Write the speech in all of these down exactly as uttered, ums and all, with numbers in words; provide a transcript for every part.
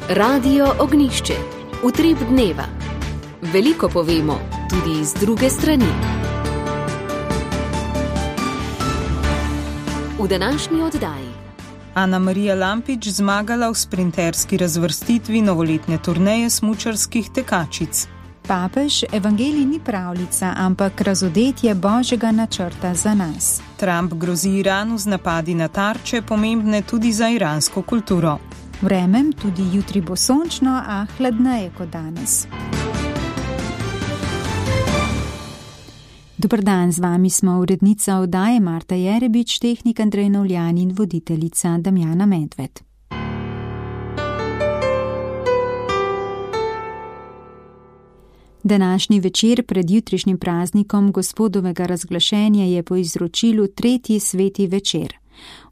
Radio Ognišče, utrip dneva. Veliko povemo, tudi iz druge strani. V današnji oddaji Ana Marija Lampič zmagala v sprinterski razvrstitvi novoletne turneje smučarskih tekačic. Papež, evangelij ni pravljica, ampak razodetje Božjega načrta za nas. Trump grozi Iranu z napadi na tarče, pomembne tudi za iransko kulturo. Vremem tudi jutri bo sončno, a hladneje kot danes. Dober dan, z vami smo urednica oddaje Marta Jerebič, tehnik Andrej Novljan in voditeljica Damjana Medved. Današnji večer pred jutrišnjim praznikom Gospodovega razglašenja je po izročilu tretji sveti večer.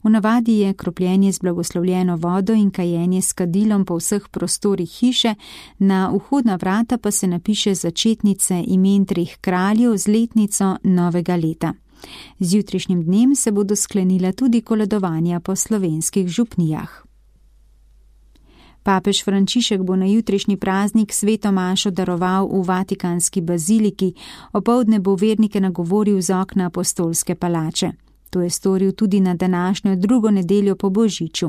V navadi je kropljenje z blagoslovljeno vodo in kajenje s kadilom po vseh prostorih hiše, na vhodna vrata pa se napiše začetnice imen treh kraljev z letnico novega leta. Z jutrišnjim dnem se bodo sklenila tudi koledovanja po slovenskih župnijah. Papež Frančišek bo na jutrišnji praznik sveto mašo daroval v Vatikanski baziliki, opoldne bo vernike nagovoril z okna apostolske palače. To je storil tudi na današnjo drugo nedeljo po Božiču.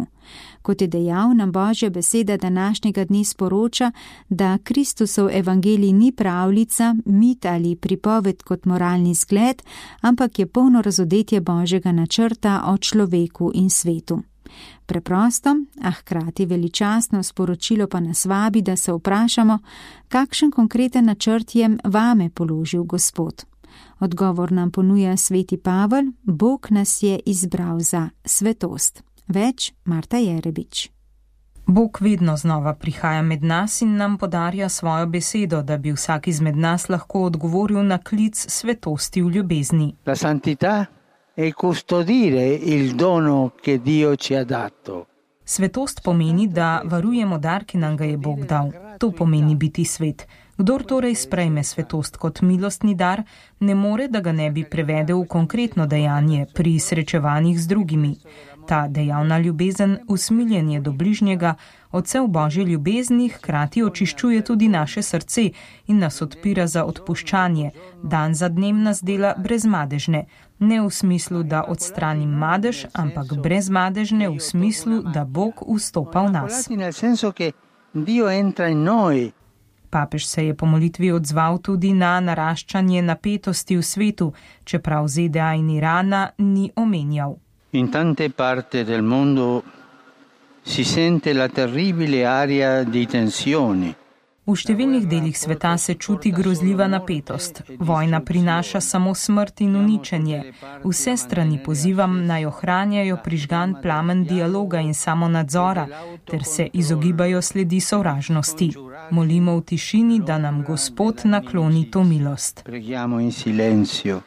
Kot je dejal, nam Božja beseda današnjega dne sporoča, da Kristusov evangelij ni pravljica, mit ali pripoved kot moralni zgled, ampak je polno razodetje Božjega načrta o človeku in svetu. Preprosto, a hkrati veličastno sporočilo pa nas vabi, da se vprašamo, kakšen konkreten načrt je vame položil Gospod. Odgovor nam ponuja sveti Pavel, Bog nas je izbral za svetost. Več Marta Jerebič. Bog vedno znova prihaja med nas in nam podarja svojo besedo, da bi vsak izmed nas lahko odgovoril na klic svetosti v ljubezni. La santità è custodire il dono che Dio ci ha dato. Svetost pomeni, da varujemo dar, ki nam ga je Bog dal. To pomeni biti svet. Kdor torej sprejme svetost kot milostni dar, ne more, da ga ne bi prevedel v konkretno dejanje pri srečevanjih z drugimi. Ta dejavna ljubezen, usmiljenje do bližnjega, odsev Božje ljubezni hkrati očiščuje tudi naše srce in nas odpira za odpuščanje. Dan za dnem nas dela brezmadežne. Ne v smislu, da odstranim madež, ampak brezmadežne v smislu, da Bog vstopa v nas. Papež se je po molitvi odzval tudi na naraščanje napetosti v svetu, čeprav Z D A in Irana ni omenjal. In tante parte del mondo si sente la terribile aria di tensioni. V številnih delih sveta se čuti grozljiva napetost. Vojna prinaša samo smrt in uničenje. Vse strani pozivam naj ohranjajo prižgan plamen dialoga in samonadzora, ter se izogibajo sledi sovražnosti. Molimo v tišini, da nam Gospod nakloni to milost. Preghiamo in silenzio,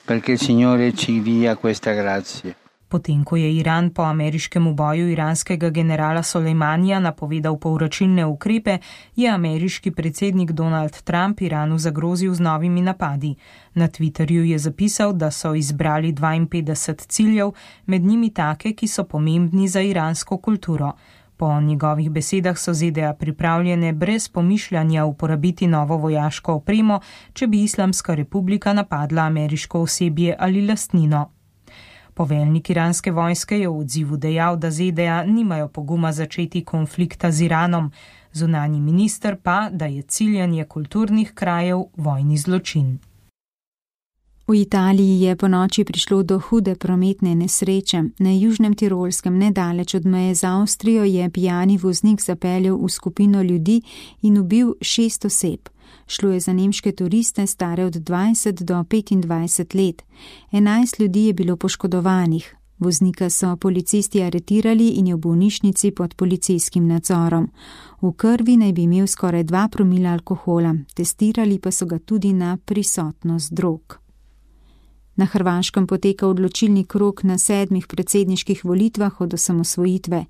perché il Signore ci dia questa grazia. Potem, ko je Iran po ameriškem uboju iranskega generala Solejmanija napovedal povračilne ukrepe, je ameriški predsednik Donald Trump Iranu zagrozil z novimi napadi. Na Twitterju je zapisal, da so izbrali dvainpetdeset ciljev, med njimi take, ki so pomembni za iransko kulturo. Po njegovih besedah so Z D A pripravljene brez pomišljanja uporabiti novo vojaško opremo, če bi Islamska republika napadla ameriško osebje ali lastnino. Poveljnik iranske vojske je v odzivu dejal, da Z D A nimajo poguma začeti konflikta z Iranom, zunanji minister pa, da je ciljanje kulturnih krajev vojni zločin. V Italiji je po noči prišlo do hude prometne nesreče. Na južnem Tirolskem, nedaleč od meje z Avstrijo, je pijani voznik zapeljal v skupino ljudi in ubil šest oseb. Šlo je za nemške turiste, stare od dvajset do petindvajset let. enajst ljudi je bilo poškodovanih. Voznika so policisti aretirali in je v bolnišnici pod policijskim nadzorom. V krvi naj bi imel skoraj dva promila alkohola, testirali pa so ga tudi na prisotnost drog. Na Hrvaškem poteka odločilni krog na sedmih predsedniških volitvah od osamosvojitve.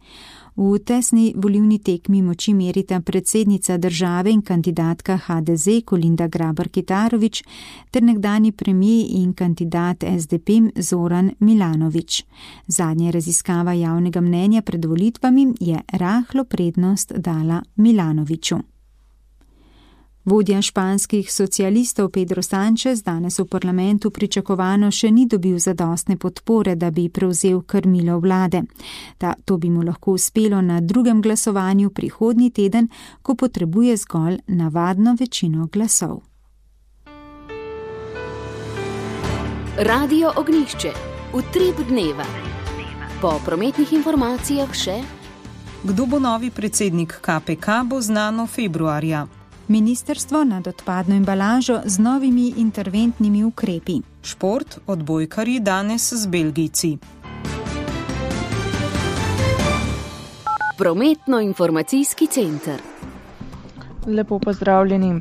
V tesni volilni tekmi moči merita predsednica države in kandidatka ha de ze Kolinda Grabar-Kitarović ter nekdani premijer in kandidat es de pe Zoran Milanović. Zadnja raziskava javnega mnenja pred volitvami je rahlo prednost dala Milanoviću. Vodja španskih socialistov Pedro Sánchez danes v parlamentu pričakovano še ni dobil zadostne podpore, da bi prevzel krmilo vlade. Ta, to bi mu lahko uspelo na drugem glasovanju prihodnji teden, ko potrebuje zgolj navadno večino glasov. Radio Ognjišče. Utrip dneva. Po prometnih informacijah še: kdo bo novi predsednik ka pe ka, bo znano februarja. Ministrstvo nad odpadno embalažo z novimi interventnimi ukrepi. Šport, odbojkarji danes z Belgijci. Prometno-informacijski center. Lepo pozdravljeni.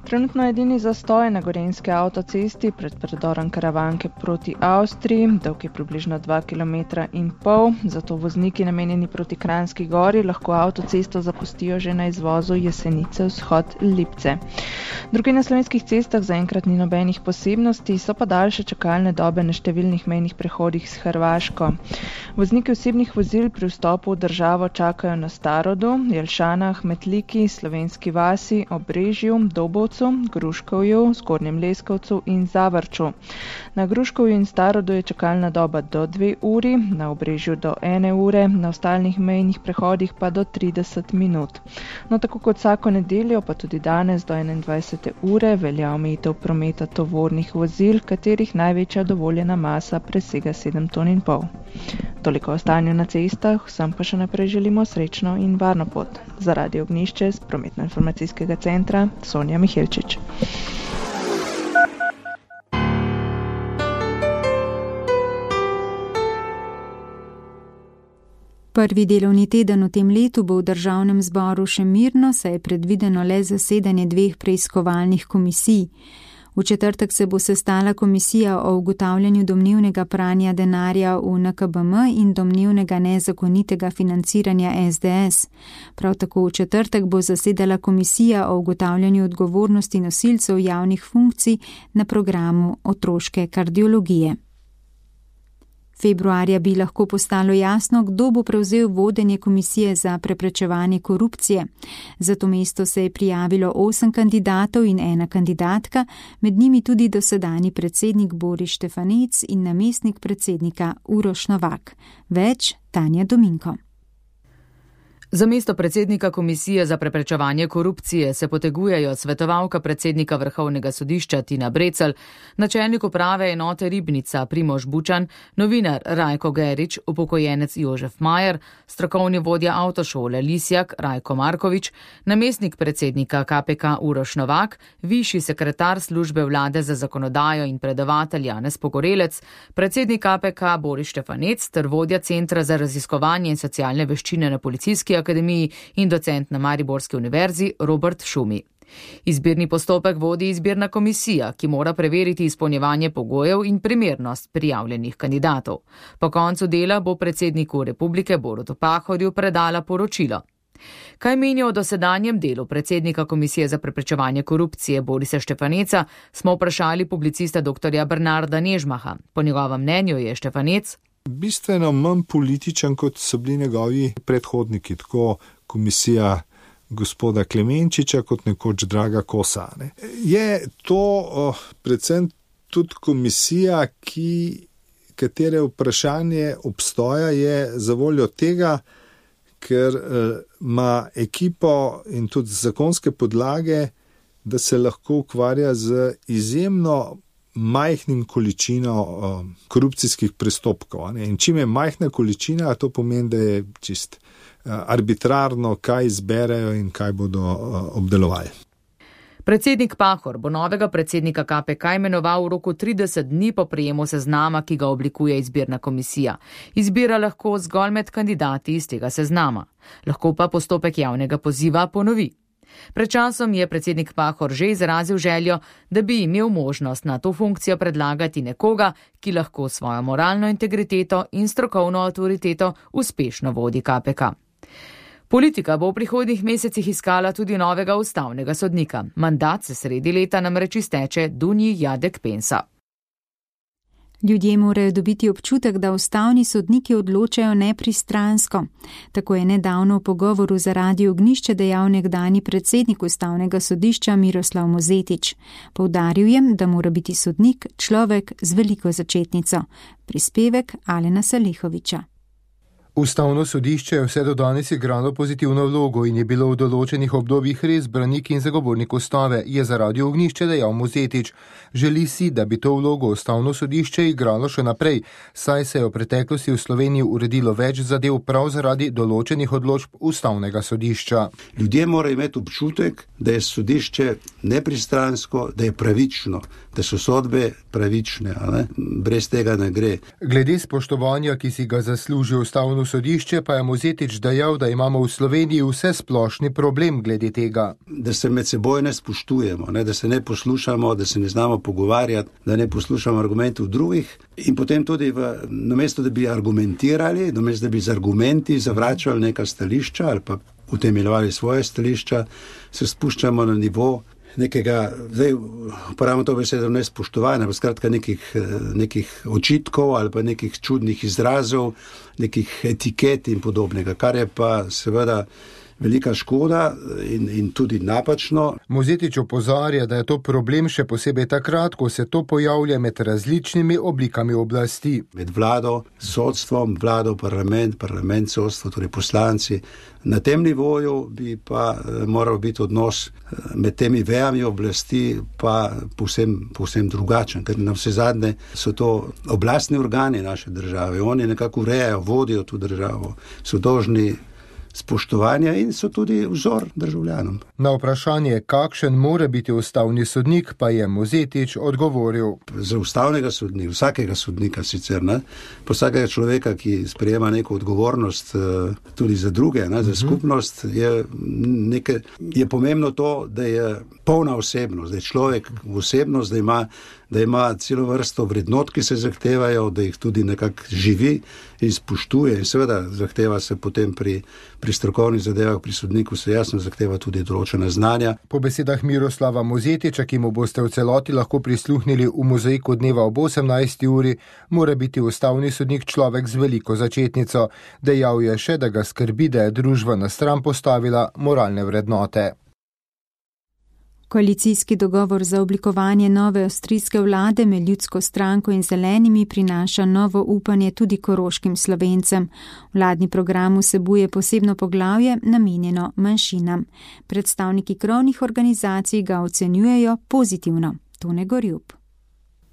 Trenutno edini zastoj na gorenjski avtocesti pred predorom Karavanke proti Avstriji, dolg je približno dva kilometra in pol, zato vozniki namenjeni proti Kranjski gori lahko avtocesto zapustijo že na izvozu Jesenice vzhod Lipce. Drugi na slovenskih cestah zaenkrat ni nobenih posebnosti, so pa daljše čakalne dobe na številnih mejnih prehodih s Hrvaško. Vozniki osebnih vozil pri vstopu v državo čakajo na Starodu, Jelšanah, Metliki, Slovenski vasi, Obrežju, Dobovcu, Gruškovju, Zgornjem Leskovcu in Zavrču. Na Gruškovju in Starodu je čakalna doba do dve uri, na Obrežju do ene ure, na ostalih mejnih prehodih pa do trideset minut. No, tako kot vsako nedeljo, pa tudi danes do enaindvajsete ure velja omejitev prometa tovornih vozil, katerih največja dovoljena masa presega sedem ton in pol. Toliko o stanju na cestah, vsem pa še naprej želimo srečno in varno pot. Za Radio Ognjišče z prometno-informacijskega centra Sonja Mihelčič. Prvi delovni teden v tem letu bo v državnem zboru še mirno, saj je predvideno le zasedanje dveh preiskovalnih komisij. V četrtek se bo sestala komisija o ugotavljanju domnevnega pranja denarja v en ka be em in domnevnega nezakonitega financiranja es de es. Prav tako v četrtek bo zasedala komisija o ugotavljanju odgovornosti nosilcev javnih funkcij na programu otroške kardiologije. Februarja bi lahko postalo jasno, kdo bo prevzel vodenje komisije za preprečevanje korupcije. Za to mesto se je prijavilo osem kandidatov in ena kandidatka, med njimi tudi dosedanji predsednik Boris Štefanec in namestnik predsednika Uroš Novak. Več Tanja Dominko. Za mesto predsednika Komisije za preprečevanje korupcije se potegujejo svetovalka predsednika Vrhovnega sodišča Tina Brecelj, načelnik uprave enote Ribnica Primož Bučan, novinar Rajko Gerič, upokojenec Jožef Majer, strokovni vodja avtošole Lisjak Rajko Markovič, namestnik predsednika ka pe ka Uroš Novak, višji sekretar službe vlade za zakonodajo in predavatelj Janez Pogorelec, predsednik ka pe ka Boris Štefanec ter vodja Centra za raziskovanje in socialne veščine na Policijski akademiji in docent na Mariborski univerzi Robert Šumi. Izbirni postopek vodi izbirna komisija, ki mora preveriti izpolnjevanje pogojev in primernost prijavljenih kandidatov. Po koncu dela bo predsedniku republike Borutu Pahorju predala poročilo. Kaj menijo o dosedanjem delu predsednika Komisije za preprečevanje korupcije Borisa Štefaneca, smo vprašali publicista doktorja Bernarda Nežmaha. Po njegovem mnenju je Štefanec bistveno manj političen, kot so bili njegovi predhodniki, tako komisija gospoda Klemenčiča kot nekoč Draga Kosa. Ne. Je to oh, predvsem tudi komisija, ki, katere vprašanje obstoja je zavoljo tega, ker eh, ima ekipo in tudi zakonske podlage, da se lahko ukvarja z izjemno majhnim količino uh, korupcijskih prestopkov. Ne? In čim je majhna količina, to pomeni, da je čist uh, arbitrarno, kaj izberejo in kaj bodo uh, obdelovali. Predsednik Pahor bo novega predsednika ka pe ka imenoval v roku trideset dni po prejemu seznama, ki ga oblikuje izbirna komisija. Izbira lahko zgolj med kandidati iz tega seznama. Lahko pa postopek javnega poziva ponovi. Pred časom je predsednik Pahor že izrazil željo, da bi imel možnost na to funkcijo predlagati nekoga, ki lahko svojo moralno integriteto in strokovno avtoriteto uspešno vodi K P K. Politika bo v prihodnjih mesecih iskala tudi novega ustavnega sodnika. Mandat se sredi leta namreč izteče Dunji Jadek Pensa. Ljudje morajo dobiti občutek, da ustavni sodniki odločajo nepristransko. Tako je nedavno v pogovoru za Radio Ognjišče dejal nekdanji predsednik ustavnega sodišča Miroslav Mozetič. Poudaril je, da mora biti sodnik človek z veliko začetnico. Prispevek Alena Salehoviča. Ustavno sodišče je vse do danes igralo pozitivno vlogo in je bilo v določenih obdobjih res branik in zagovornik ustave, je za Radio Ognjišče dejal Mozetič. Želi si, da bi to vlogo ustavno sodišče igralo še naprej, saj se je v preteklosti v Sloveniji uredilo več zadev prav zaradi določenih odločb ustavnega sodišča. Ljudje morajo imeti občutek, da je sodišče nepristransko, da je pravično, da so sodbe pravične, ne? Brez tega ne gre. Glede spoštovanja, ki si ga zasluži ustavno sodišče, pa je Mozetič dejal, da imamo v Sloveniji vse splošni problem glede tega. Da se med seboj ne spoštujemo, ne? Da se ne poslušamo, da se ne znamo pogovarjati, da ne poslušamo argumentov drugih in potem tudi v, namesto, da bi argumentirali, namesto, da bi z argumenti zavračali neka stališča ali pa utemeljevali svoje stališča, se spuščamo na nivo nekega, zdaj uporabljamo to besedo nespoštovanja, pa skratka nekih, nekih očitkov ali pa nekih čudnih izrazov, nekih etiket in podobnega, kar je pa seveda velika škoda in, in tudi napačno. Mozetič opozarja, da je to problem še posebej takrat, ko se to pojavlja med različnimi oblikami oblasti. Med vlado, sodstvom, vlado, parlament, parlament, sodstvo, torej poslanci. Na tem nivoju bi pa moral biti odnos med temi vejami oblasti pa povsem, povsem drugačen, ker na vse zadnje so to oblastni organi naše države. Oni nekako urejajo, vodijo to državo, so dolžni spoštovanja in so tudi vzor državljanom. Na vprašanje, kakšen mora biti ustavni sodnik, pa je Mozetič odgovoril. Za ustavnega sodnika, vsakega sodnika sicer, ne, pa vsakega človeka, ki sprejema neko odgovornost tudi za druge, ne, za skupnost, je, neke, je pomembno to, da je polna osebnost, da je človek osebnost, da ima da ima celo vrsto vrednot, ki se zahtevajo, da jih tudi nekako živi in spoštuje in seveda zahteva se potem pri, pri strokovnih zadevah, pri sodniku se jasno zahteva tudi določena znanja. Po besedah Miroslava Mozetiča, ki mu boste v celoti lahko prisluhnili v mozaiku dneva ob osemnajsti uri, mora biti ustavni sodnik človek z veliko začetnico. Dejal je še, da ga skrbi, da je družba na stran postavila moralne vrednote. Koalicijski dogovor za oblikovanje nove avstrijske vlade med Ljudsko stranko in Zelenimi prinaša novo upanje tudi koroškim Slovencem. Vladni program vsebuje posebno poglavje namenjeno manjšinam. Predstavniki krovnih organizacij ga ocenjujejo pozitivno. Tone Gorjub.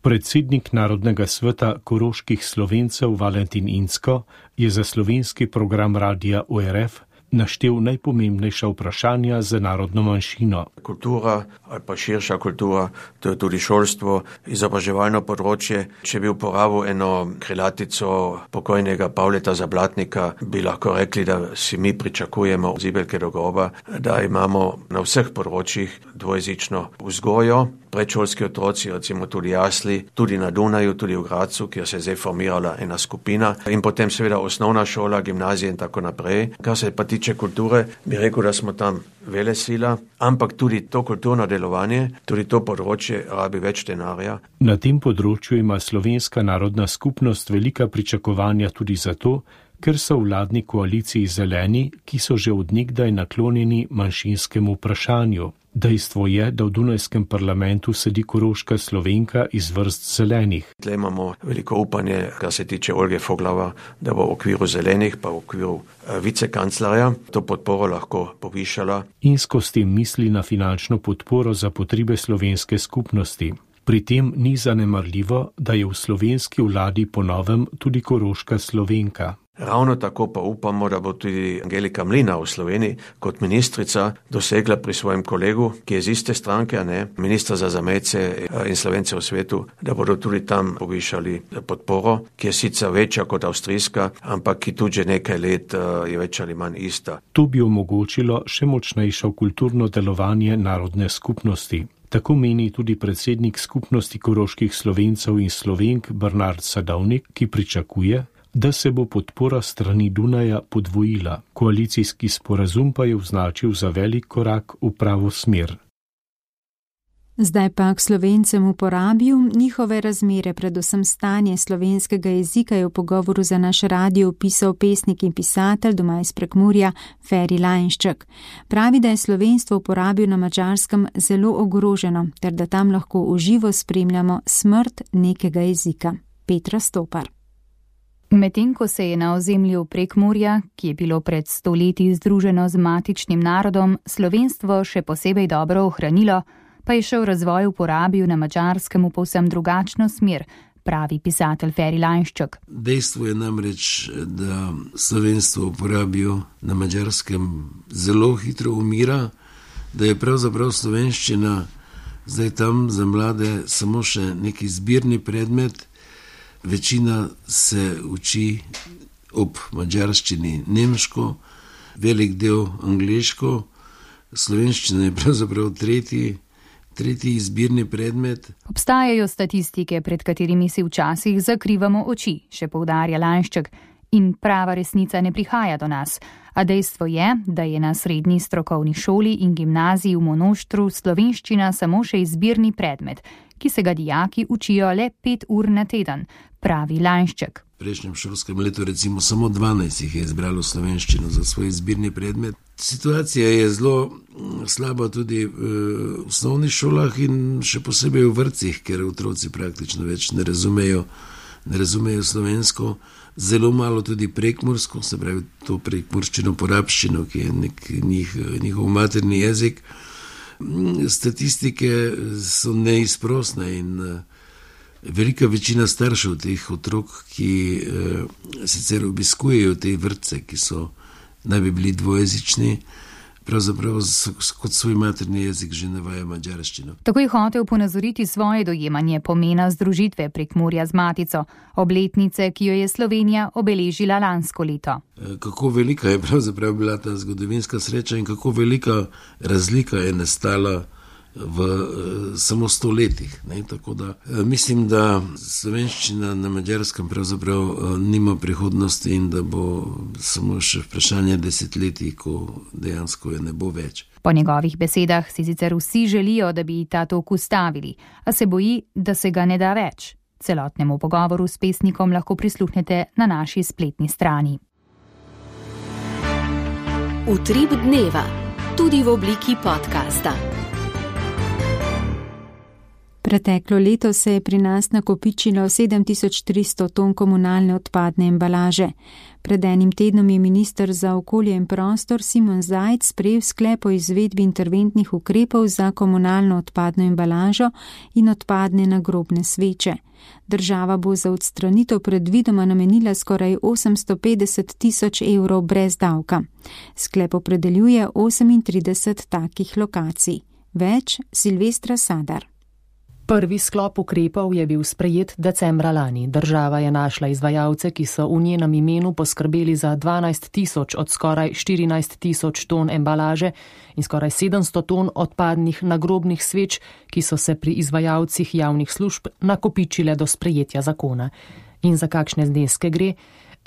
Predsednik Narodnega sveta koroških Slovencev Valentin Inzko je za slovenski program radia O R F naštel najpomembnejša vprašanja za narodno manjšino. Kultura ali pa širša kultura, to je tudi šolstvo, izobraževalno področje. Če bi uporabil eno krilatico pokojnega Pavleta Zablatnika, bi lahko rekli, da si mi pričakujemo od zibelke do groba, da imamo na vseh področjih dvojezično vzgojo. Predšolski otroci, recimo tudi jasli, tudi na Dunaju, tudi v Gracu, kjer se je zdaj formirala ena skupina in potem seveda osnovna šola, gimnazija in tako naprej. Kar se pa tiče kulture, bi rekel, da smo tam velesila, ampak tudi to kulturno delovanje, tudi to področje rabi več denarja. Na tem področju ima slovenska narodna skupnost velika pričakovanja tudi zato, ker so v vladni koaliciji Zeleni, ki so že od nekdaj naklonjeni manjšinskemu vprašanju. Dejstvo je, da v Dunajskem parlamentu sedi koroška Slovenka iz vrst Zelenih. Tle imamo veliko upanje, kar se tiče Olge Foglava, da bo v okviru Zelenih, pa v okviru vicekanclerja to podporo lahko povišala. Inzko s tem misli na finančno podporo za potrebe slovenske skupnosti. Pri tem ni zanemarljivo, da je v slovenski vladi po novem tudi koroška Slovenka. Ravno tako pa upamo, da bo tudi Angelika Mlinar v Sloveniji kot ministrica dosegla pri svojem kolegu, ki je iz iste stranke, ne, ministra za zamejce in Slovence v svetu, da bodo tudi tam povišali podporo, ki je sicer večja kot avstrijska, ampak ki tudi že nekaj let je več ali manj ista. To bi omogočilo še močnejšo kulturno delovanje narodne skupnosti. Tako meni tudi predsednik skupnosti koroških Slovencev in Slovenk Bernard Sadovnik, ki pričakuje, da se bo podpora strani Dunaja podvojila. Koalicijski sporazum pa je označil za velik korak v pravo smer. Zdaj pa k Slovencem v Porabju, njihove razmere, predvsem stanje slovenskega jezika, je v pogovoru za naš radio opisal pesnik in pisatelj doma iz Prekmurja Feri Lajnšček. Pravi, da je slovenstvo v Porabju na Madžarskem zelo ogroženo, ter da tam lahko v živo spremljamo smrt nekega jezika. Petra Stopar. Medtem ko se je na ozemlju Prekmurja, ki je bilo pred stoletji združeno z matičnim narodom, slovenstvo še posebej dobro ohranilo, pa je šel razvoj v Porabju na Madžarskem v povsem drugačno smer, pravi pisatelj Feri Lajnšček. Dejstvo je namreč, da slovenstvo v Porabju na Madžarskem zelo hitro umira, da je pravzaprav slovenščina zdaj tam za mlade samo še neki zbirni predmet. Večina se uči ob madžarščini nemško, velik del angleško, slovenščina je pravzaprav tretji, tretji izbirni predmet. Obstajajo statistike, pred katerimi si včasih zakrivamo oči, še poudarja Lajnšček, in prava resnica ne prihaja do nas. A dejstvo je, da je na srednji strokovni šoli in gimnaziji v Monoštru slovenščina samo še izbirni predmet, ki se ga dijaki učijo le pet ur na teden, pravi Lajnšček. V prejšnjem šolskem letu recimo samo dvanajst jih je izbralo slovenščino za svoj izbirni predmet. Situacija je zelo slaba tudi v osnovnih šolah in še posebej v vrtcih, ker otroci praktično več ne razumejo, ne razumejo slovensko. Zelo malo tudi prekmursko, se pravi to prekmurščino, porabščino, ki je nek njih, njihov materni jezik. Statistike so neizprosne in velika večina staršev teh otrok, ki eh, sicer obiskujejo te vrtce, ki so naj bi bili dvojezični, pravzaprav kot svoj materni jezik že navaja madžarščino. Tako je hotel ponazoriti svoje dojemanje pomena združitve Prekmurja z matico, obletnice, ki jo je Slovenija obeležila lansko leto. Kako velika je pravzaprav bila ta zgodovinska sreča in kako velika razlika je nastala v samo sto letih. Ne? Tako da mislim, da slovenščina na Madžarskem pravzaprav nima prihodnosti in da bo samo še vprašanje desetletij, ko dejansko je ne bo več. Po njegovih besedah si sicer vsi želijo, da bi ta tok ustavili, a se boji, da se ga ne da več. Celotnemu pogovoru s pesnikom lahko prisluhnete na naši spletni strani. Utrip dneva, tudi v obliki podcasta. Preteklo leto se je pri nas nakopičilo sedem tisoč tristo ton komunalne odpadne embalaže. Pred enim tednom je minister za okolje in prostor Simon Zajc sprejel sklep o izvedbi interventnih ukrepov za komunalno odpadno embalažo in odpadne nagrobne sveče. Država bo za odstranitev predvidoma namenila skoraj osemsto petdeset tisoč evrov brez davka. Sklep opredeljuje osemintrideset takih lokacij. Več Silvestra Sadar. Prvi sklop ukrepov je bil sprejet decembra lani. Država je našla izvajalce, ki so v njenem imenu poskrbeli za dvanajst tisoč od skoraj štirinajst tisoč ton embalaže in skoraj sedemsto ton odpadnih nagrobnih sveč, ki so se pri izvajalcih javnih služb nakopičile do sprejetja zakona. In za kakšne zneske gre?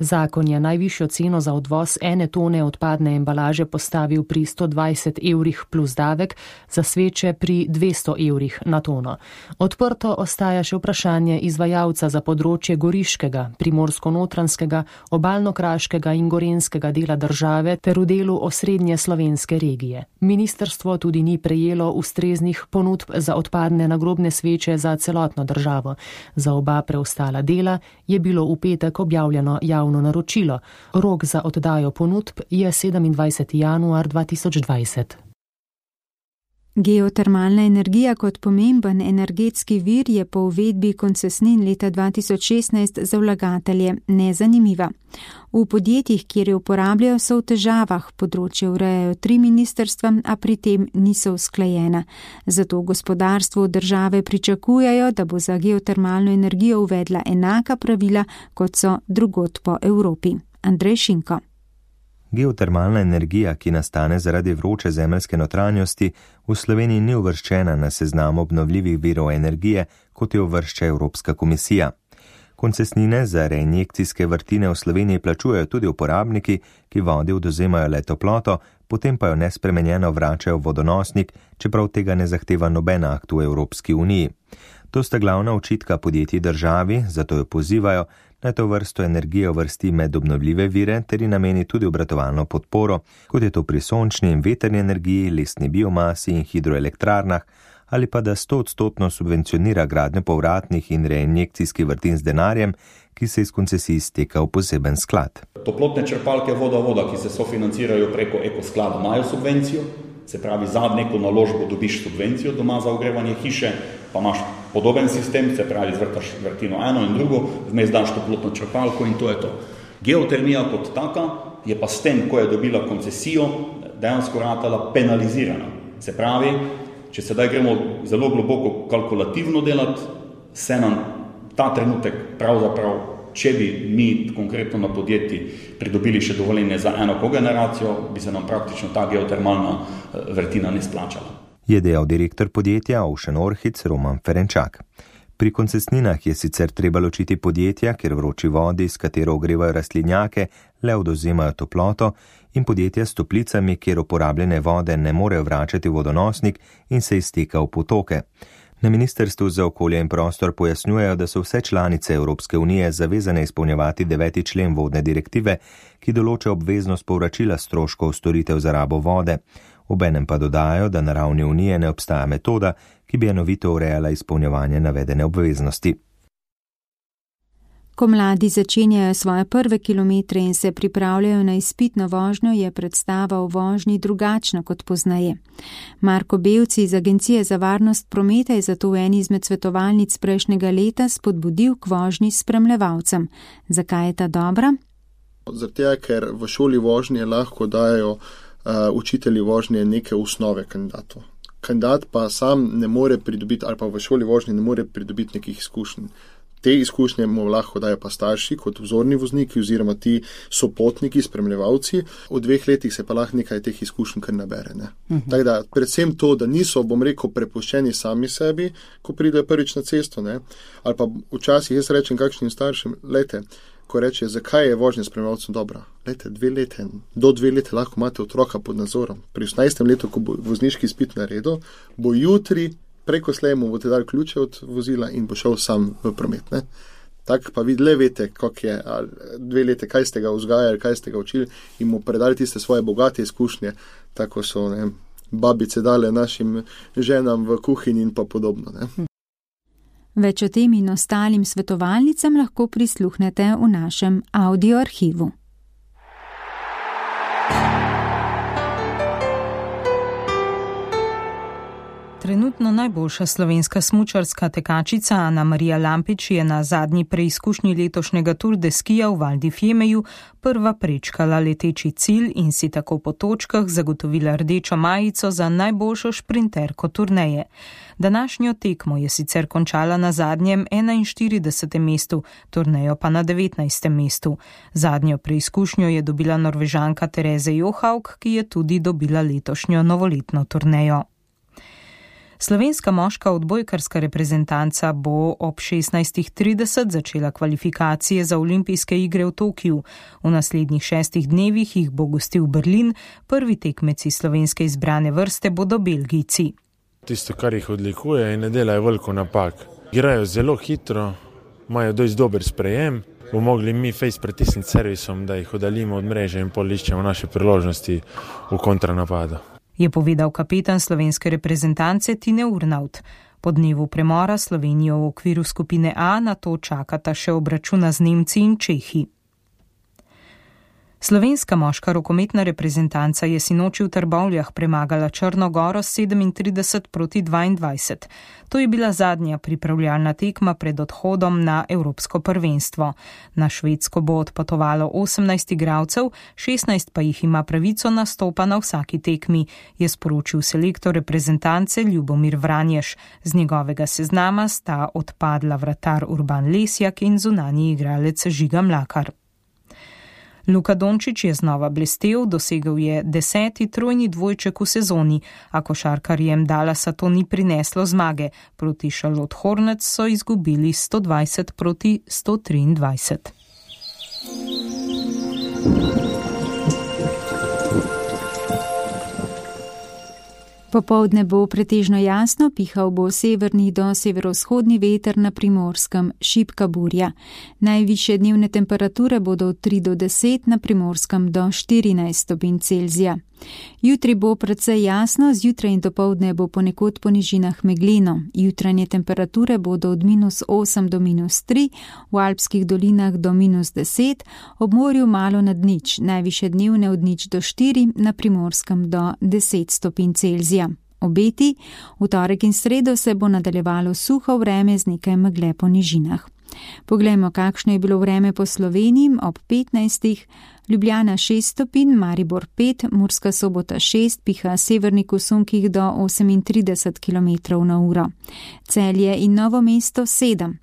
Zakon je najvišjo ceno za odvoz ene tone odpadne embalaže postavil pri sto dvajset evrih plus davek, za sveče pri dvesto evrih na tono. Odprto ostaja še vprašanje izvajalca za področje goriškega, primorsko-notranskega, obalno-kraškega in gorenskega dela države ter v delu osrednje slovenske regije. Ministrstvo tudi ni prejelo ustreznih ponudb za odpadne nagrobne sveče za celotno državo. Za oba preostala dela je bilo v petek objavljeno javno naročilo. Rok za oddajo ponudb je sedemindvajseti januar dva tisoč dvajset. Geotermalna energija kot pomemben energetski vir je po uvedbi koncesnin leta dva tisoč šestnajst za vlagatelje nezanimiva. V podjetjih, kjer jo uporabljajo, so v težavah, področje urejajo tri ministrstva, a pri tem niso usklajena. Zato gospodarstvo države pričakujejo, da bo za geotermalno energijo uvedla enaka pravila, kot so drugod po Evropi. Andrej Šinko. Geotermalna energija, ki nastane zaradi vroče zemeljske notranjosti, v Sloveniji ni uvrščena na seznam obnovljivih virov energije, kot jo uvršča Evropska komisija. Koncesnine za reinjekcijske vrtine v Sloveniji plačujejo tudi uporabniki, ki vodi odvzemajo le toploto, potem pa jo nespremenjeno vračajo v vodonosnik, čeprav tega ne zahteva noben akt v Evropski uniji. To sta glavna očitka podjetij državi, zato jo pozivajo, naj to vrsto energije uvrsti med obnovljive vire ter ji nameni tudi obratovalno podporo, kot je to pri sončni in vetrni energiji, lesni biomasi in hidroelektrarnah, ali pa da stoodstotno subvencionira gradnjo povratnih in reinjekcijskih vrtin z denarjem, ki se iz koncesij izteka v poseben sklad. Toplotne črpalke voda-voda, ki se sofinancirajo preko ekosklada, imajo subvencijo, se pravi za neko naložbo dobiš subvencijo doma za ogrevanje hiše, pa imaš podoben sistem, se pravi zvrtaš vrtino eno in drugo, vmes daš toplotno črpalko in to je to. Geotermija kot taka je pa s tem, ko je dobila koncesijo, dejansko ratala penalizirana. Se pravi, če sedaj gremo zelo globoko kalkulativno delati, se nam ta trenutek pravzaprav, če bi mi konkretno na podjetji pridobili še dovoljenje za eno kogeneracijo, bi se nam praktično ta geotermalna vrtina ne splačala. Je dejal direktor podjetja Ocean Orchids Roman Ferenčak. Pri koncesninah je sicer treba ločiti podjetja, kjer vroči vodi, s katero ogrevajo rastlinjake, le odvzemajo toploto, in podjetja s toplicami, kjer uporabljene vode ne morejo vračati v vodonosnik in se izteka v potoke. Na Ministrstvu za okolje in prostor pojasnjujejo, da so vse članice Evropske unije zavezane izpolnjevati deveti člen vodne direktive, ki določa obveznost povračila stroškov storitev za rabo vode. Obenem pa dodajajo, da na ravni unije ne obstaja metoda, ki bi enovito urejala izpolnjevanje navedene obveznosti. Ko mladi začenjajo svoje prve kilometre in se pripravljajo na izpitno vožnjo, je predstava o vožnji drugačna kot poznaje. Marko Belci iz Agencije za varnost prometa je zato v eni izmed svetovalnic prejšnjega leta spodbudil k vožnji s spremljevalcem. Zakaj je ta dobra? Zato, ker v šoli vožnje lahko dajo uh, učitelji vožnje neke osnove kandidatov. Kandidat pa sam ne more pridobiti, ali pa v šoli vožnje ne more pridobiti nekih izkušenj. Te izkušnje mu lahko dajo pa starši kot vzorni vozniki oziroma ti sopotniki, spremljevalci. V dveh letih se pa lahko nekaj teh izkušenj kar nabere. Ne? Uh-huh. Tako da predvsem to, da niso, bom rekel, prepuščeni sami sebi, ko pridejo prvič na cesto. Ne? Ali pa včasih jaz rečem kakšnim staršem, lejte, ko reče, zakaj je vožnja spremljevalcem dobra. Lejte, dve lete, do dve lete lahko imate otroka pod nadzorom. Pri osemnajstem letu, ko bo vozniški izpit naredil, bo jutri preko slej mu boste dali ključe od vozila in bo šel sam v promet. Ne? Tako pa vi le veste, kako je, dve lete, kaj ste ga vzgajali, kaj ste ga učili in mu predali tiste svoje bogate izkušnje, tako so ne, babice dale našim ženam v kuhinji in pa podobno. Ne? Več o tem in ostalim svetovalnicam lahko prisluhnete v našem audio arhivu. Trenutno najboljša slovenska smučarska tekačica Ana Marija Lampič je na zadnji preizkušnji letošnjega Tour de Skija v Val di Fiemeju prva prečkala leteči cilj in si tako po točkah zagotovila rdečo majico za najboljšo šprinterko turneje. Današnjo tekmo je sicer končala na zadnjem enainštiridesetem mestu, turnejo pa na devetnajstem mestu. Zadnjo preizkušnjo je dobila Norvežanka Tereze Johaug, ki je tudi dobila letošnjo novoletno turnejo. Slovenska moška odbojkarska reprezentanca bo ob šestnajstih trideset začela kvalifikacije za olimpijske igre v Tokiu. V naslednjih šestih dnevih jih bo gostil Berlin, prvi tekmeci slovenske izbrane vrste bodo Belgijci. Tisto, kar jih odlikuje, je ne delajo veliko napak. Igrajo zelo hitro, imajo dosti dober sprejem, bo mogli mi fejs pritisniti servisom, da jih oddalimo od mreže in pol iščemo naše priložnosti v kontranapadu. Je povedal kapetan slovenske reprezentance Tine Urnauth. Po dnevu premora Slovenijo v okviru skupine A na to čakata še obračuna z Nemci in Čehi. Slovenska moška rokometna reprezentanca je sinoči v Trbovljah premagala Črno Goro sedemintrideset proti dvaindvajset. To je bila zadnja pripravljalna tekma pred odhodom na Evropsko prvenstvo. Na Švedsko bo odpotovalo osemnajst igralcev, šestnajst pa jih ima pravico nastopa na vsaki tekmi, je sporočil selektor reprezentance Ljubomir Vranješ. Z njegovega seznama sta odpadla vratar Urban Lesjak in zunanji igralec Žiga Mlakar. Luka Dončić je znova blestel, dosegel je deseti trojni dvojček v sezoni, a košarkarjem Dallasa to ni prineslo zmage. Proti Charlotte Hornets so izgubili sto dvajset proti sto triindvajset. Popoldne bo pretežno jasno, pihal bo severni do severovzhodni veter, na Primorskem šibka burja. Najvišje dnevne temperature bodo od tri do deset, na Primorskem do štirinajst stopinj Celzija. Jutri bo precej jasno, zjutraj in dopoldne bo ponekod po nižinah megleno. Jutranje temperature bodo od minus osem do minus tri, v alpskih dolinah do minus deset, ob morju malo nad nič, najviše dnevne od nič do štiri, na Primorskem do deset stopinj Celzija. Obeti, v torek in sredo se bo nadaljevalo suho vreme z nekaj megle po nižinah. Poglejmo, kakšno je bilo vreme po Sloveniji ob petnajstih. Ljubljana šest stopinj, Maribor pet, Murska Sobota šest, piha severnik v sunkih do osemintrideset kilometrov na uro. Celje in Novo mesto sedem.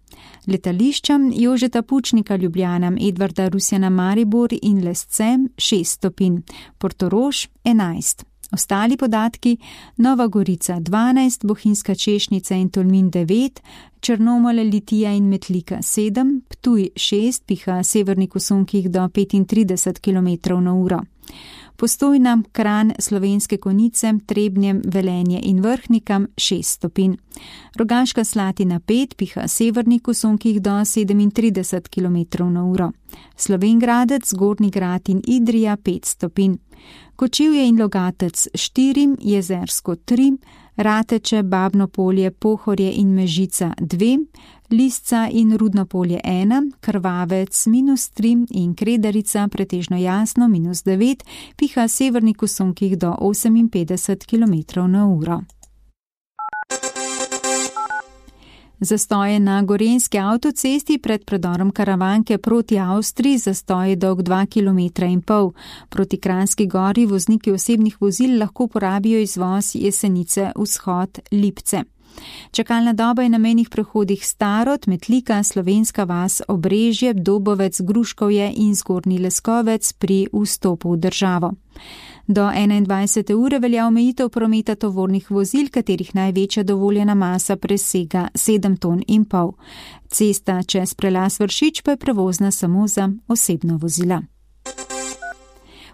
Letališča Jožeta Pučnika Ljubljana, Edvarda Rusjana Maribor in Lescem šest stopinj, Portorož enajst. Ostali podatki: Nova Gorica dvanajst, Bohinjska Češnica in Tolmin devet, Črnomelj, Litija in Metlika sedem, Ptuj šest, piha severnik v sunkih do petintrideset kilometrov na uro. Postojna, Kranj, Slovenske Konjice, Trebnje, Velenje in Vrhnikam šest stopinj. Rogaška Slatina pet, piha severnik v sunkih do sedemintrideset kilometrov na uro. Slovenj Gradec, Gornji Grad in Idrija pet stopinj. Kočevje in Logatec štiri, Jezersko tri, Rateče, Babno Polje, Pohorje in Mežica dve, Lisca in Rudno Polje ena, Krvavec minus tri in Kredarica pretežno jasno minus devet, piha severnik v sunkih do oseminpetdeset kilometrov na uro. Zastoje na Gorenjski avtocesti pred predorom Karavanke proti Avstriji, zastoj je dolg dva kilometra in pol. Proti Kranjski Gori vozniki osebnih vozil lahko porabijo izvoz Jesenice vzhod Lipce. Čakalna doba je na mejnih prehodih Starod, Metlika, Slovenska vas, Obrežje, Dobovec, Gruškovje in Zgornji Leskovec pri vstopu v državo. Do enaindvajsete ure velja omejitev prometa tovornih vozil, katerih največja dovoljena masa presega sedem ton in pol. Cesta čez prelaz Vršič pa je prevozna samo za osebna vozila.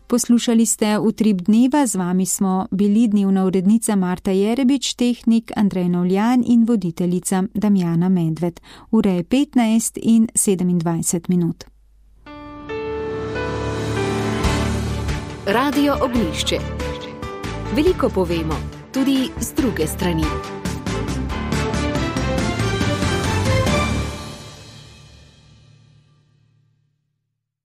Poslušali ste Utrip dneva, z vami smo bili dnevna urednica Marta Jerebič, tehnik Andrej Novljan in voditeljica Damjana Medved. Ura je petnajst in sedemindvajset minut. Radio Ognjišče. Veliko povemo, tudi z druge strani.